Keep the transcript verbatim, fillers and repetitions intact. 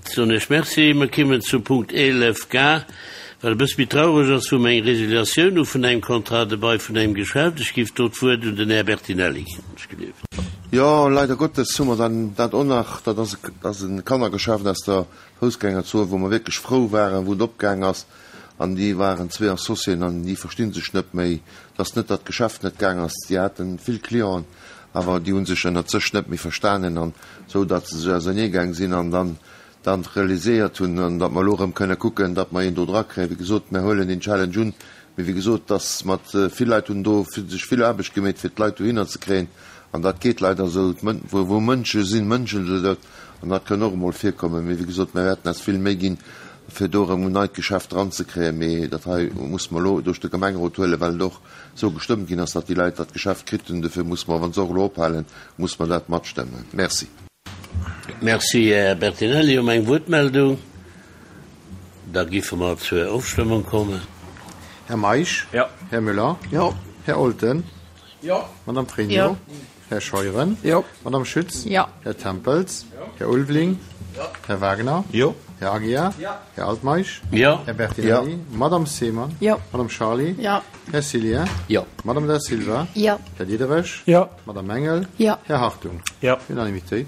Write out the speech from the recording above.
Soen ech Merci. Mer kimmen zu Punkt eelef G, wat e bësse méi traureg ass, wou mer eng Resiliatioun hu vun engem Contrat de bail vun engem Geschäft. Ech géif do d'Wuert un den Här Bertinelli ginn. Ech gelift. Jo, leider Gottes hu mer dann dat och nach. Dat ass ass e Kannergeschäft aus der Foussgängerzon, wou mer wierklech frou waren, wou et opgaang ass. An déi waren zwee Associéen an déi versti sech net méi. Et ass net, datt d'Geschäft net gaang ass, déi hate vill Clienten, awer déi hu sech ënnert sech net méi verstanen an esou, datt se sech auserneegaang sinn an dann dann realiséiert hunn, an datt mer elo erëm kënne kucken, datt mer een do drakréien. Wéi gesot, mer huelen deen Challenge un, mee wéi gesot, datt mat vill Leit hunn do sech vill Aarbecht gemeet, fir d'Leit dohinner ze kréien, an dat geet leider esou, wou wou Mënsche sinn, mënschen se dat, an dat kënn och emol virkommen. Mee wéi gesot, mer wäerten eis vill Méi ginn, fir do erëm en neit Geschäft dranzekréien, mee dat hei muss mer elo duerch de Gemengerot huelen, well et och esou gestëmmt ginn ass, datt déi Leit dat Geschäft kritt hunn. Dofir muss mer, wa se och elo ophalen, muss mer dat matstëmmen. Merci. Merci, Här Bertinelli. Hu mer eng Wuertmeldung? Da giffe mer zur Ofstëmmung kommen. Här Meisch? Jo. Här Müller? Jo. Här Olten? Jo. Madame Pregno? Jo. Här Scheuren? Jo. Madame Schütz? Jo. Här Tempels? Här Ulveling? Här Wagner? Jo. Här Aguiar? Jo. Här Altmeisch? Jo. Här Bertinelli? Madame Seemann? Jo. Madame Charly? Jo. Här Cillien? Jo. Madame Da Silva? Jo. Här Diderich? Jo. Madame Engel? Jo. Här Hartung? Jo. Unanimitéit.